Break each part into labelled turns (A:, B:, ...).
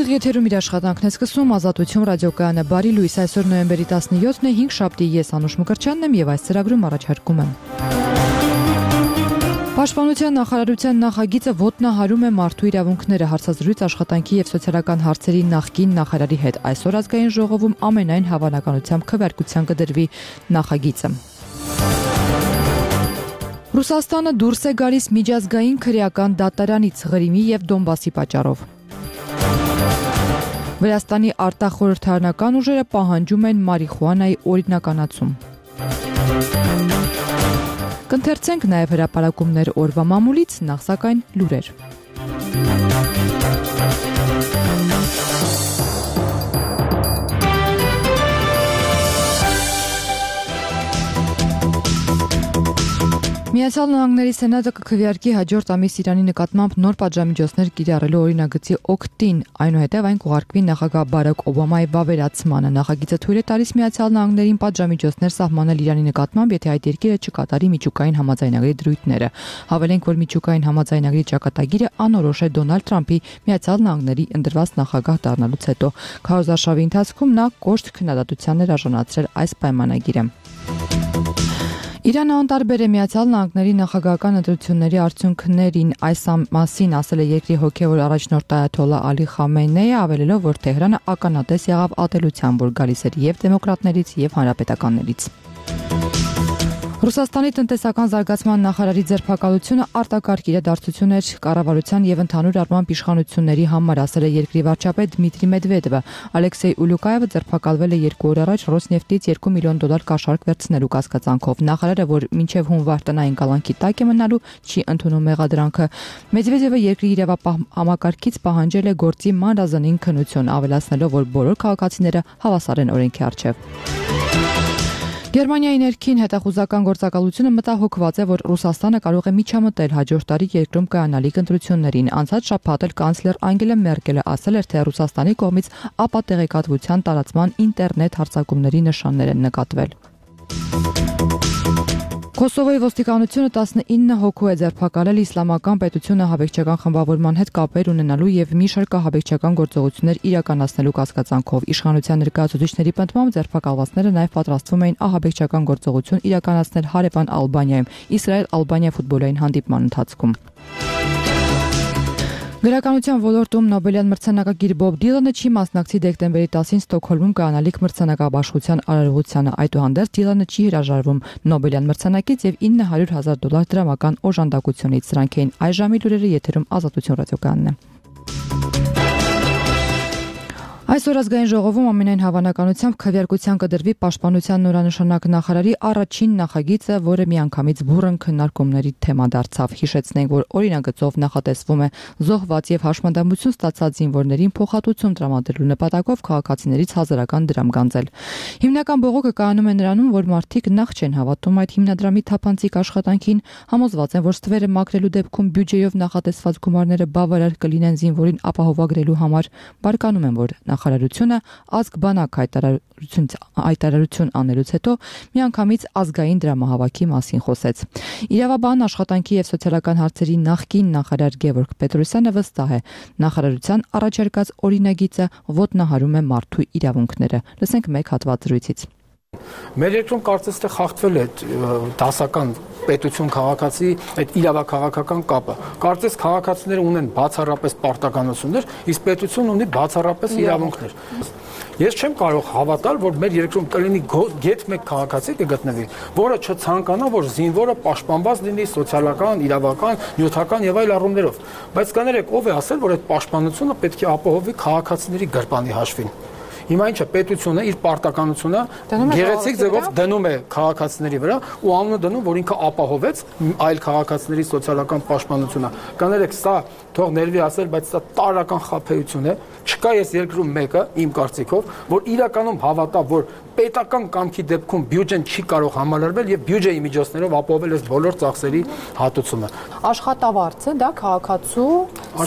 A: Եթերում իր աշխատանքն է սկսում Ազատություն ռադիոկայանը։ Բարի լույս, այսօր նոյեմբերի 17-ն է, 5 շաբթի, ես Անուշ Մկրտչյանն եմ եւ այս ծրագրում առաջարկում եմ։ Պաշտպանության նախարարության նախագիծը ոտնահարում է մարդու իրավունքները, հարցազրույց աշխատանքի եւ սոցիալական հարցերի նախկին նախարարի հետ։ Այսօր ազգային ժողովում ամենայն հավանականությամբ քվեարկության կդրվի նախագիծը։ Ռուսաստանը դուրս է գալիս միջազգային քրեական դատարանից Ղրիմի եւ Դոնբասի պատճառով։ Վրաստանի արտախորհրդարանական ուժերը պահանջում են մարիխուանայի օրինականացում։ Կընթերցենք նաև հրապարակումներ օրվա մամուլից, նախ սակայն լուրեր։ Միացյալ Նահանգների Սենատը կքվեարկի հաջորդ ամիս Իրանի նկատմամբ նոր պատժամիջոցներ կիրառելու օրինագծի օգտին, այնուհետև այն կուղարկվի նախագահ Բարաք Օբամայի վավերացմանը։ Նախագիծը թույլ է տալիս Միացյալ Նահանգներին պատժամիջոցներ սահմանել Իրանի նկատմամբ, եթե այդ երկիրը չկատարի միջուկային համաձայնագրի դրույթները։ Հավելենք, որ միջուկային համաձայնագրի ճակատագիրը անորոշ է Դոնալդ Թրամփի Միացյալ Նահանգների ընտրված նախագահ դառնալուց հետո։ Քարոզարշավի ընթացքում նա կոշտ քննադատության էր արժանացրել այս պայմանագիրը։ Իրանը անտարբեր է Միացյալ Նահանգների նախագահական ընտրությունների արդյունքներին, այս մասին ասել է երկրի հոգևոր առաջնորդ այաթոլլա Ալի Խամենեյը, ավելելով, որ Թեհրանը ականատես եղավ ատելության, որ գալիս էր եւ դեմոկրատներից եւ հանրապետականներից։ Ռուսաստանի տնտեսական զարգացման նախարարի ձերբակալությունը արտակարգ իրադարձություն էր կառավարության եւ ընդհանուր առմամբ իշխանությունների համար, ասել է երկրի վարչապետ Դմիտրի Մեդվեդևը։ Ալեքսեյ Ուլյուկայևը ձերբակալվել է 2 օր առաջ Ռոսնեֆտից $2 միլիոն կաշառք վերցնելու կասկածանքով։ Նախարարը, որ մինչև հունվար տնային կալանքի տակ է մնալու, չի ընդունում մեղադրանքը։ Մեդվեդևը երկրի իրավապահ համակարգից պահանջել է գործի մանրազնին քննություն, ավելացնելով, որ բոլոր քաղաքացիները հավասար են օրենքի առջև։ Գերմանիայի ներքին հետախուզական գործակալությունը մտահոգված է, որ Ռուսաստանը կարող է միջամտել հաջորդ տարի երկրում կայանալիք ընտրություններին։ Անցած շաբաթ էլ կանցլեր Անգելա Մերկելը ասել էր, թե Ռուսաստանի կողմից ապատեղեկատվության տարածման ինտերնետ հարձակումների նշաններ են նկատվել։ Կոսովոյի ոստիկանությունը 19 հոգու է ձերբակալել իսլամական պետությունը ահաբեկչական խմբավորման հետ կապեր ունենալու եւ մի շարք ահաբեկչական գործողություններ իրականացնելու կասկածանքով։ Իշխանության ներկայացուցիչների պնդմամբ ձերբակալվածները նաեւ պատրաստվում էին ահաբեկչական գործողություն իրականացնել հարևան Ալբանիայում Իսրայել-Ալբանիա ֆուտբոլային հանդիպման ընթացքում։ Գրականության ոլորտում Նոբելյան մրցանակակիր Բոբ Դիլանը չի մասնակցի դեկտեմբերի 10-ին Ստոկհոլմում կայանալիք մրցանակաբաշխության արարողությանը։ Այդուհանդերձ Դիլանը չի հրաժարվում Նոբելյան մրցանակից եւ $900,000 դրամական օժանդակությունից։ Սրանք էին այս ժամի լուրերը, եթերում Ազատություն ռադիոկայանն է։ Այսօր ազգային ժողովում ամենայն հավանականությամբ քվեարկության կդրվի պաշտպանության նորանշանակ նախարարի առաջին նախագիծը, որը միանգամից բուռն քննարկումների թեմա դարձավ։ Հիշեցնենք, որ օրինագծով նախատեսվում է զոհված եւ հաշմանդամություն ստացած զինվորներին փոխհատուցում տրամադրելու նպատակով քաղաքացիներից հազարական դրամ գանձել։ Հիմնական բողոքը կայանում է նրանում, որ մարդիկ նախ չեն հավատում այդ հիմնադրամի թափանցիկ աշխատանքին, համոզված են, որ ստվերը մաքրելու դեպքում բյուջեով նախատեսված գումարները բավարար կլինեն զինվորին ապահովագրելու համար։ Բարկանում են, որ նախարարությունը ազգբանակ հայտարարություն անելուց հետո միանգամից ազգային դրամահավաքի մասին խոսեց։ Իրավաբան, աշխատանքի եւ սոցիալական հարցերի նախկին նախարար Գևորգ Պետրոսյանը վստահ է, նախարարության առաջարկած օրինագիծը ոտնահարում է մարդու իրավունքները։ Լսենք մեկ հատված զրույցից։
B: Մեր երկրում կարծես թե խախտվել է դասական պետություն քաղաքացի այդ իրավաքաղաքական կապը։ Կարծես քաղաքացիները ունեն բացառապես պարտականություններ, իսկ պետությունն ունի բացառապես իրավունքներ։ Ես չեմ կարող հավատալ, որ մեր երկրում կլինի գեթ մեկ քաղաքացի կգտնվի, որը չցանկանա, որ զինվորը պաշտպանված լինի սոցիալական, իրավական, նյութական եւ այլ առումներով։ Բայց կներեք, ով է ասել, որ այդ պաշտպանությունը պետք է ապահովի քաղաքացիների գրպանի հաշվին։ Հիմա ինչը պետությունը իր պարտականությունը գեղեցիկ ձևով դնում է քաղաքացիների վրա ու անունը դնում, որ ինքը ապահովեց այլ քաղաքացիների սոցիալական պաշտպանությունը։ Կներեք, սա թող ներվի ասել, բայց սա տարրական խաբեություն է։ Չկա ես երկրում մեկը, իմ կարծիքով, որ իրականում հավատա, որ պետական կամքի դեպքում բյուջեն չի կարող համալրվել եւ բյուջեի միջոցներով ապահովել այս բոլոր ծախսերի հատուցումը։
C: Աշխատավարձը դա քաղաքացու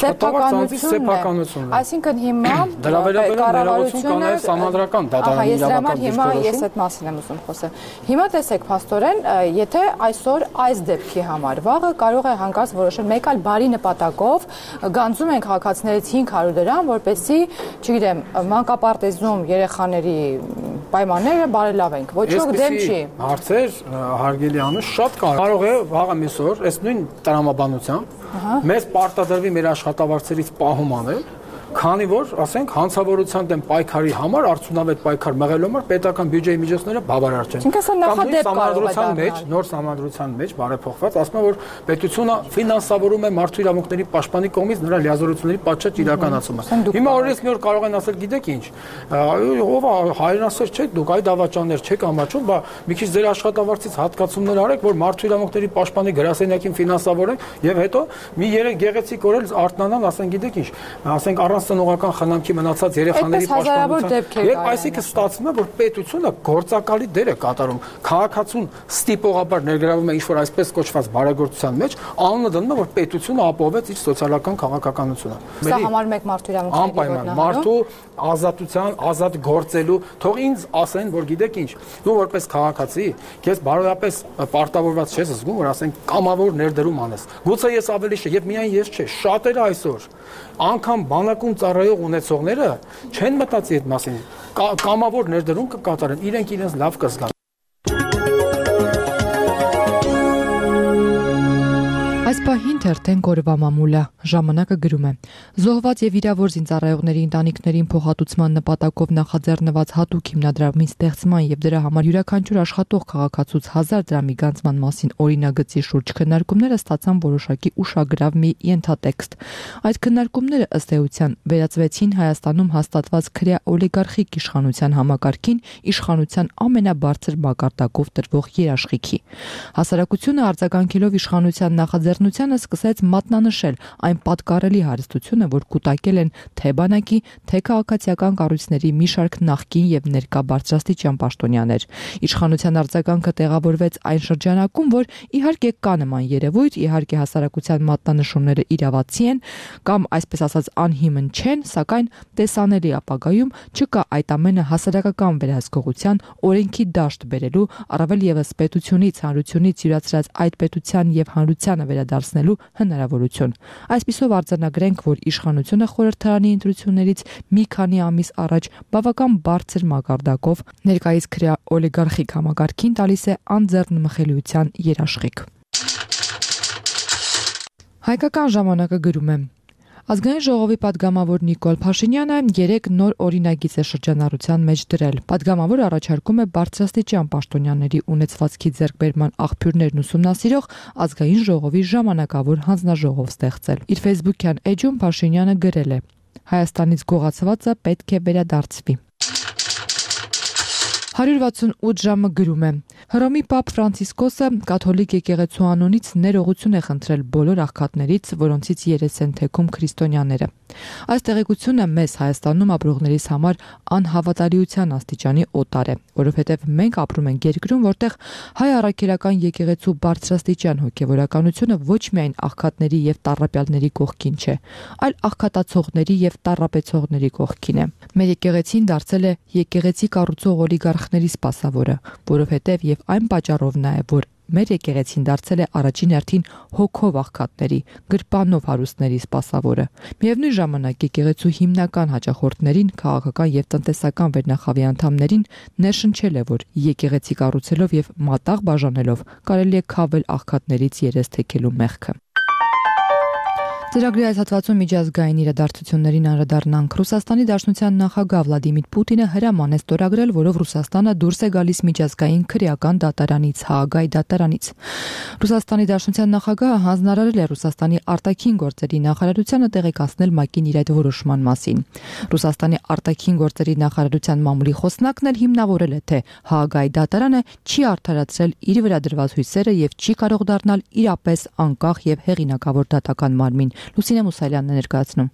B: սեփականությունն է։
A: Այսինքն հիմա
B: դրա վերաբերյալ ներողություն կա նաև համանդրական դատարանի իրավական դիրքորոշում։
A: Ես այդ մասին եմ ուզում խոսել։ Հիմա տեսեք, փաստորեն, եթե այսօր այս դեպքի համար վաղը կարող է հանկարծ որոշել մեկ այլ բարի նպատակով գանձում են քաղաքացիներից 500 դրամ, որպեսզի, չգիտեմ, մանկապարտեզում երեխաների պայմանները բարելավենք։ Ոչ ոք դեմ չի։
B: Հարցեր, հարգելի Անուշ, շատ կարող է վաղը միսօր, այս նույն տրամաբանությամբ մեզ պարտադրվի մեր աշխատավարձերից պահում անել, քանի որ, ասենք, հանցավորության դեմ պայքարի համար արդյունավետ պայքար մղելու համար պետական բյուջեի միջոցները բավարար չեն։ Նոր համանդրության մեջ բարեփոխված ասում է, որ պետությունը ֆինանսավորում է մարդու իրավունքների պաշտպանի կողմից նրա լիազորությունների պատշաճ իրականացումը։ Հիմա օրինակ մի օր կարող են ասել, գիտեք ինչ, ով է հայրենասեր չեք դուք, այդ ավաճաններ չեք ամաչում, բա մի քիչ ձեր աշխատավարձից հատկացումներ արեք, որ մարդու իրավունքների պաշտպանի գրասենյակին ֆինանսավորենք եւ հետո մի երեք գեղեցիկ օր էլ արթնանան, ասեն, գիտեք ինչ, ասենք ծնողական խնամքի մնացած երեխաների պաշտպանության։ Երբ այսինքն ստացվում է, որ պետությունը գործակալի դեր է կատարում, քաղաքացուն ստիպողաբար ներգրավում է ինչ-որ այսպես կոչված բարեգործության մեջ, անունը դնում է, որ պետությունը ապահովեց իր սոցիալական քաղաքականությունը։
A: Սա համարում եք մարդու իրավունքների
B: անպայման մարդու ազատության, ազատ գործելու, թող ինձ ասեն, որ գիտեք ինչ, դու որպես քաղաքացի, քեզ բարոյապես պարտավորված չես զգում, որ ասեն կամավոր ներդրում անես։ Գուցե ես ավելի շա, եւ միայն ես չէ, շատերը այսօր անգամ բանակում ծառայող ունեցողները չեն մտածի այդ մասին, կամավոր ներդրում կկատարեն, իրենք իրենց լավ կզգան։
A: Այս պահին թերթեն կորվա մամուլը ժամանակը գրում է. զոհված եւ վիրավոր զինծառայողների ընտանիքներին փոխհատուցման նպատակով նախաձեռնված հատուկ հիմնադրամի ստեղծման եւ դրա համար յուրաքանչյուր աշխատող քաղաքացուց 1000 դրամի գանձման մասին օրինագծի շուրջ քննարկումները ստացան որոշակի ուշագրավ մի ենթատեքստ։ Այդ քննարկումները ըստ էության վերածվեցին Հայաստանում հաստատված քրեա օլիգարխիկ իշխանության համակարգին իշխանության ամենաբարձր մակարդակով տրվող երաշխիքի։ Հասարակությունը արձագանքելով իշխանության նախաձեռնությանը սկսեց մատնանշել այն պատկառելի հարստությունը, որ կուտակել են թե բանակի, թե քաղաքացիական կառույցների մի շարք նախկին եւ ներկա բարձրաստիճան պաշտոնյաներ։ Իշխանության արձագանքը տեղավորվեց այն շրջանակում, որ իհարկե կա նման երևույթ, իհարկե հասարակության մատնանշումները իրավացի են կամ այսպես ասած անհիմն չեն, սակայն տեսանելի ապագայում չկա այդ ամենը հասարակական վերահսկողության օրենքի դաշտ բերելու, առավել եւս պետությունից, հանրությունից յուրացրած այդ պետության եւ հանրությանը վերադարձնելու հնարավորություն։ Այսպիսով արձանագրենք, որ իշխանությունը խորհրդարանի ընտրություններից մի քանի ամիս առաջ բավական բարձր մակարդակով ներկայիս քրեա օլիգարխիկ համակարգին տալիս է անձեռնմխելիության երաշխիք։ Հայկական ժամանակը գրում է. Ազգային ժողովի падգամավոր Նիկոլ Փաշինյանը 3 նոր օրինագիծ է շրջանառության մեջ դրել։ Падգամավորը առաջարկում է բարձրաստիճան պաշտոնյաների ունեցվածքի ձեռքբերման աղբյուրներն ուսումնասիրող ազգային ժողովի ժամանակավոր հանձնաժողով ստեղծել։ Իր Facebook-յան էջում Փաշինյանը գրել է. Հայաստանից գողացվածը պետք է վերադարձվի։ 168 ժամը գրում է. Հռոմի Պապ Ֆրանցիսկոսը կաթոլիկ եկեղեցու անունից ներողություն է խնդրել բոլոր աղքատներից, որոնցից երես են թեքում քրիստոնյաները։ Այս տեղեկությունը մեզ Հայաստանում ապրողներիս համար անհավատալիության աստիճանի օտար է, որովհետև մենք ապրում ենք երկրում, որտեղ հայ առաքելական եկեղեցու բարձրաստիճան հոգևորականությունը ոչ միայն աղքատների եւ տառապյալների կողքին չէ, այլ աղքատացողների եւ տառապեցողների կողքին է։ Մեր եկեղեցին դարձել է եկեղեցի կառուցող օլիգարխների սպասավորը, որովհետև եւ այն պատճառով նաեւ, որ մեր եկեղեցին դարձել է առաջին հերթին հոգով աղքատների, գրպանով հարուստների սպասավորը։ Միևնույն ժամանակ եկեղեցու հիմնական հաճախորդներին, քաղաքական եւ տնտեսական վերնախավի անդամներին ներշնչել է, որ եկեղեցի կառուցելով եւ մատաղ բաժանելով կարելի է քավել աղքատներից երես թեքելու մեղքը։ Ծրագրի այս հատվածում միջազգային իրադարձություններին անդրադառնանք։ Ռուսաստանի Դաշնության նախագահ Վլադիմիր Պուտինը հրաման է ստորագրել, որով Ռուսաստանը դուրս է գալիս միջազգային քրեական դատարանից, Հաագայի դատարանից։ Ռուսաստանի Դաշնության նախագահը հանձնարարել է Ռուսաստանի արտաքին գործերի նախարարությանը տեղեկացնել ՄԱԿ-ին իր այդ որոշման մասին։ Ռուսաստանի արտաքին գործերի նախարարության մամուլի խոսնակն էլ հիմնավորել է, թե Հաագայի դատարանը չի արդարացրել իր վրա դրված հույսերը եւ չի կարող դառնալ իրապես անկախ եւ հեղինակավոր դատական մարմին։ Լուսինե Մուսալյանն է ներկայացնում։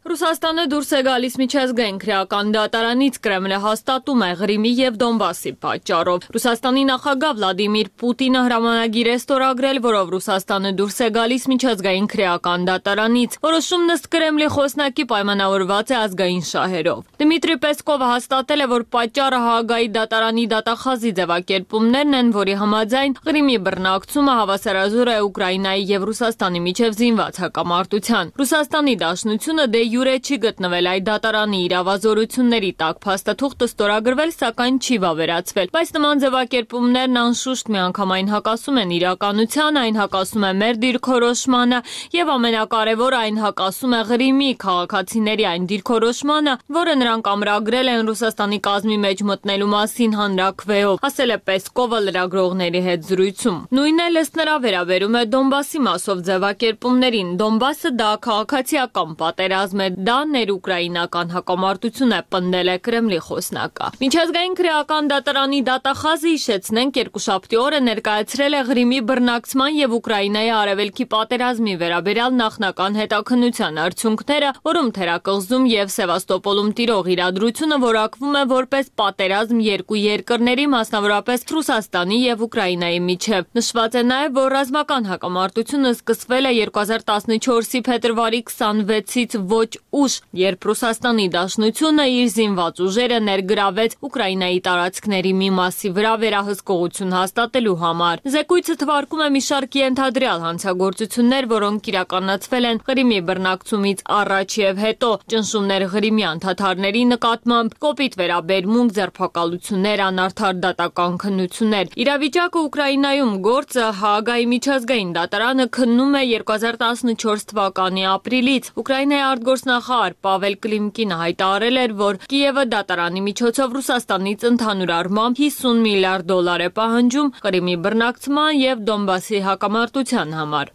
C: Ռուսաստանը դուրս է գալիս միջազգային քրեական դատարանից, Կրեմլը հաստատում է Ղրիմի եւ Դոնբասի պատճառով։ Ռուսաստանի նախագահ Վլադիմիր Պուտինը հրամանագիր է ստորագրել, որով Ռուսաստանը դուրս է գալիս միջազգային քրեական դատարանից։ Որոշումն ըստ Կրեմլի խոսնակի պայմանավորված է ազգային շահերով։ Դմիտրի Պեսկովը հաստատել է, որ պատճառը Հաագայի դատարանի դատախազի ձևակերպումներն են, որի համաձայն Ղրիմի բռնակցումը հավասարազոր է Ուկրաինայի եւ Ռուսաստանի միջև զինված հակամարտության։ Ռուսաստանի Դաշնությունը դե յուրե չի գտնվել այդ դատարանի իրավազորությունների տակ, փաստաթուղթը ստորագրվել, սակայն չի վավերացվել։ Բայց նման ձևակերպումներն անշուշտ միանգամայն հակասում են իրականության, այն հակասում է մեր դիրքորոշմանը եւ ամենակարևորը այն հակասում է Ղրիմի քաղաքացիների այն դիրքորոշմանը, որը նրանք ամրագրել են Ռուսաստանի կազմի մեջ մտնելու մասին հանրաքվեով, ասել է Պեսկովը լրագրողների հետ զրույցում։ Նույնն էլ ըստ նրա վերաբերում է Դոնբասի մասով ձևակերպումներին։ Դոնբասը դա քաղաքացիական պատերազմ է, դա ներուկրաինական հակամարտություն է, պնդել է Կրեմլի խոսնակը։ Միջազգային քրեական դատարանի դատախազը, հիշեցնենք, երկուշաբթի օրը ներկայացրել է Ղրիմի բռնակցման եւ Ուկրաինայի արևելքի պատերազմի վերաբերյալ նախնական հետաքննության արդյունքները, որում Թերակղզում եւ Սևաստոպոլում տիրող իրադրությունը որակվում է որպես պատերազմ երկու երկրների, մասնավորապես Ռուսաստանի եւ Ուկրաինայի միջև։ Նշված է նաեւ, որ ռազմական հակամարտությունը սկսվել է 2014-ի փետրվարի 26-ից ոչ ուշ, երբ Ռուսաստանի Դաշնությունը իր զինված ուժերը ներգրավեց Ուկրաինայի տարածքների մի մասի վրա վերահսկողություն հաստատելու համար։ Զեկույցը թվարկում է մի շարք ենթադրյալ հանցագործություններ, որոնք իրականացվել են Ղրիմի բռնակցումից առաջ եւ հետո, ճնշումներ Ղրիմյան թաթարների նկատմամբ, կոպիտ վերաբերմունք, ձերբակալություններ, անարդար դատական քննություններ։ Իրավիճակը Ուկրաինայում գործը Հաագայի միջազգային դատարանը քննում է 2014 թվականի ապրիլից։ Ուկրաինայի արտգործնախարար Պավել Կլիմկինը հայտարարել էր, որ Կիևը դատարանի միջոցով Ռուսաստանից ընդհանուր առմամբ $50 միլիարդ է պահանջում Ղրիմի բռնակցման եւ Դոնբասի հակամարտության համար։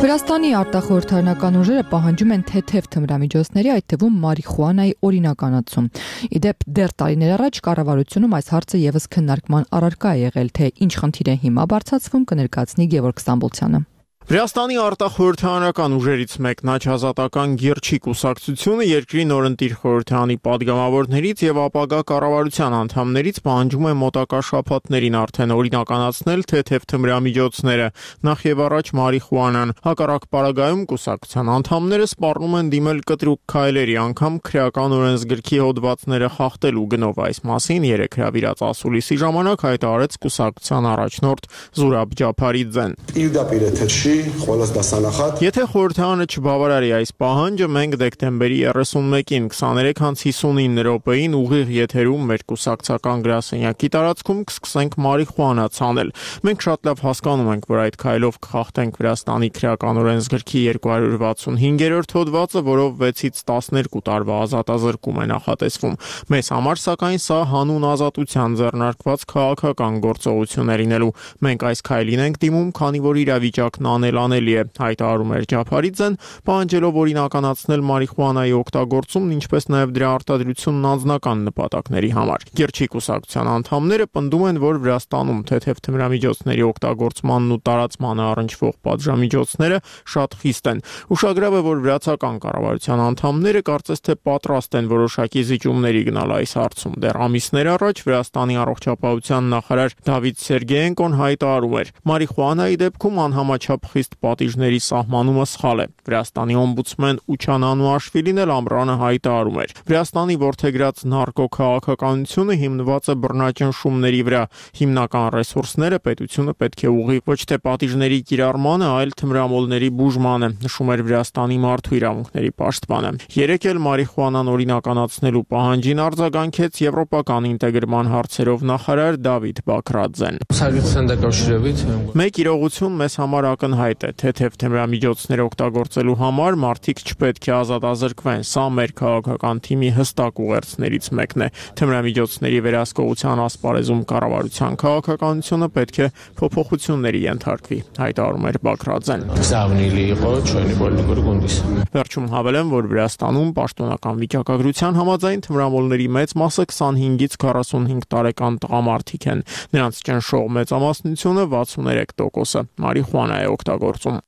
A: Վրաստանի արտախորհրդարանական ուժերը պահանջում են թեթև թմրամիջոցների, այդ թվում մարիխուանայի օրինականացում։ Իդեպ դեռ տարիներ առաջ կառավարությունում այս հարցը եւս քննարկման առարկա է եղել, թե ինչ խնդիր է հիմա բարձրացվում, կներկայացնի Գևորգ Ստամբոլցյանը։
D: Վրաստանի արտախորհրդարանական ուժերից մեկն Աչազատական Գերչի կուսակցությունը երկրի նորընտիր խորհրդարանի падգամավորներից եւ ապագա կառավարության անդամներից պահանջում է մոտակա շաբաթներին արդեն օրինականացնել թեթև թմրամիջոցները, նախ եւ առաջ մարիխուանան։ Հակառակ պարագայում կուսակցության անդամները սպառնում են դիմել կտրուկ քայլերի, անգամ քրեական օրենսգրքի հոդվածները խախտելու գնով։ Այս մասին երեկ հրավիրած ասուլիսի ժամանակ հայտարարեց կուսակցության առաջնորդ Զուրաբ Ջափարիձեն։ Եթե խորհրդարանը չբավարարի այս պահանջը, մենք դեկտեմբերի 31-ին 23:59 րոպեին ուղիղ եթերում մեր կուսակցական գրասենյակի տարածքում կսկսենք մարիխուանա ցանել։ Մենք շատ լավ հասկանում ենք, որ այդ քայլով կխախտենք Վրաստանի քրեական օրենսգրքի 265-րդ հոդվածը, որով 6-ից 12 տարվա ազատազրկում է նախատեսվում։ Մեզ համար, սակայն, սա հանուն ազատության ձեռնարկված քաղաքական գործողություն է լինելու։ Մենք այս քայլին ենք դիմում, քանի որ իրավիճակն անելանելի է, հայտարարում էր Ջափարիձեն, պահանջելով օրինականացնել մարիխուանայի օգտագործումն, ինչպես նաև դրա արտադրությունն անձնական նպատակների համար։ Գերչի կուսակցության անդամները պնդում են, որ Վրաստանում թեթև թմրամիջոցների օգտագործմանն ու տարածմանը առնչվող պատժամիջոցները շատ խիստ են։ Ուշագրավ է, որ վրացական կառավարության անդամները կարծես թե պատրաստ են որոշակի զիջումների գնալ այս հարցում։ Դեռ ամիսներ առաջ Վրաստանի առողջապահության նախարար Դավիթ Սերգեենկոն հայտարարում էր. մարիխուանայի դեպքում անհամաչափ խիստ պատիժների սահմանումը սխալ է։ Վրաստանի օմբուդսմեն Ուչան Անուաշվիլին էլ ամռանը հայտարարում էր. Վրաստանի որդեգրած նարկոքաղաքականությունը հիմնված է բռնաճնշումների վրա։ Հիմնական ռեսուրսները պետությունը պետք է ուղղի ոչ թե պատիժների կիրառմանը, այլ թմրամոլների բուժմանը, նշում էր Վրաստանի մարդու իրավունքների պաշտպանը։ Երեկ էլ մարիխուանան օրինականացնելու պահանջին արձագանքեց եվրոպական ինտեգրման հարցերով նախարար Դավիթ Բաքրաձեն։ Մեկ իրողություն մեզ համար ակնհայտ է, թեթև թմրամիջոցներ օգտագործելու համար մարդիկ չպետք է ազատազրկվեն։ Սա մեր քաղաքական թիմի հստակ ուղերձներից մեկն է։ Թմրամիջոցների վերահսկողության ասպարեզում կառավարության քաղաքականությունը պետք է փոփոխությունների ենթարկվի, հայտարարում էր Բաքրաձեն։ Վերջում հավելեմ, որ Վրաստանում պաշտոնական վիճակագրության համաձայն թմրամոլների մեծ մասը 25-ից 45 տարեկան տղամարդիկ են։ Նրանց ճնշող մեծամասնությունը 63% մարիխուանա է օգտագործում։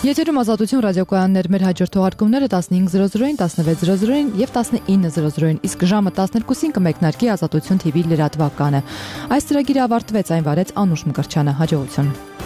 A: Եթերում Ազատություն ռադիոկայաններ, մեր հաջորդ թողարկումները 15:00-ին, 16:00-ին եւ 19:00-ին, իսկ ժամը 12-ին կմեկնարկի Ազատություն TV լրատվականը։ Այս ծրագիրը ավարտվեց, այն վարեց Անուշ Մկրտչյանը։ Հաջողություն։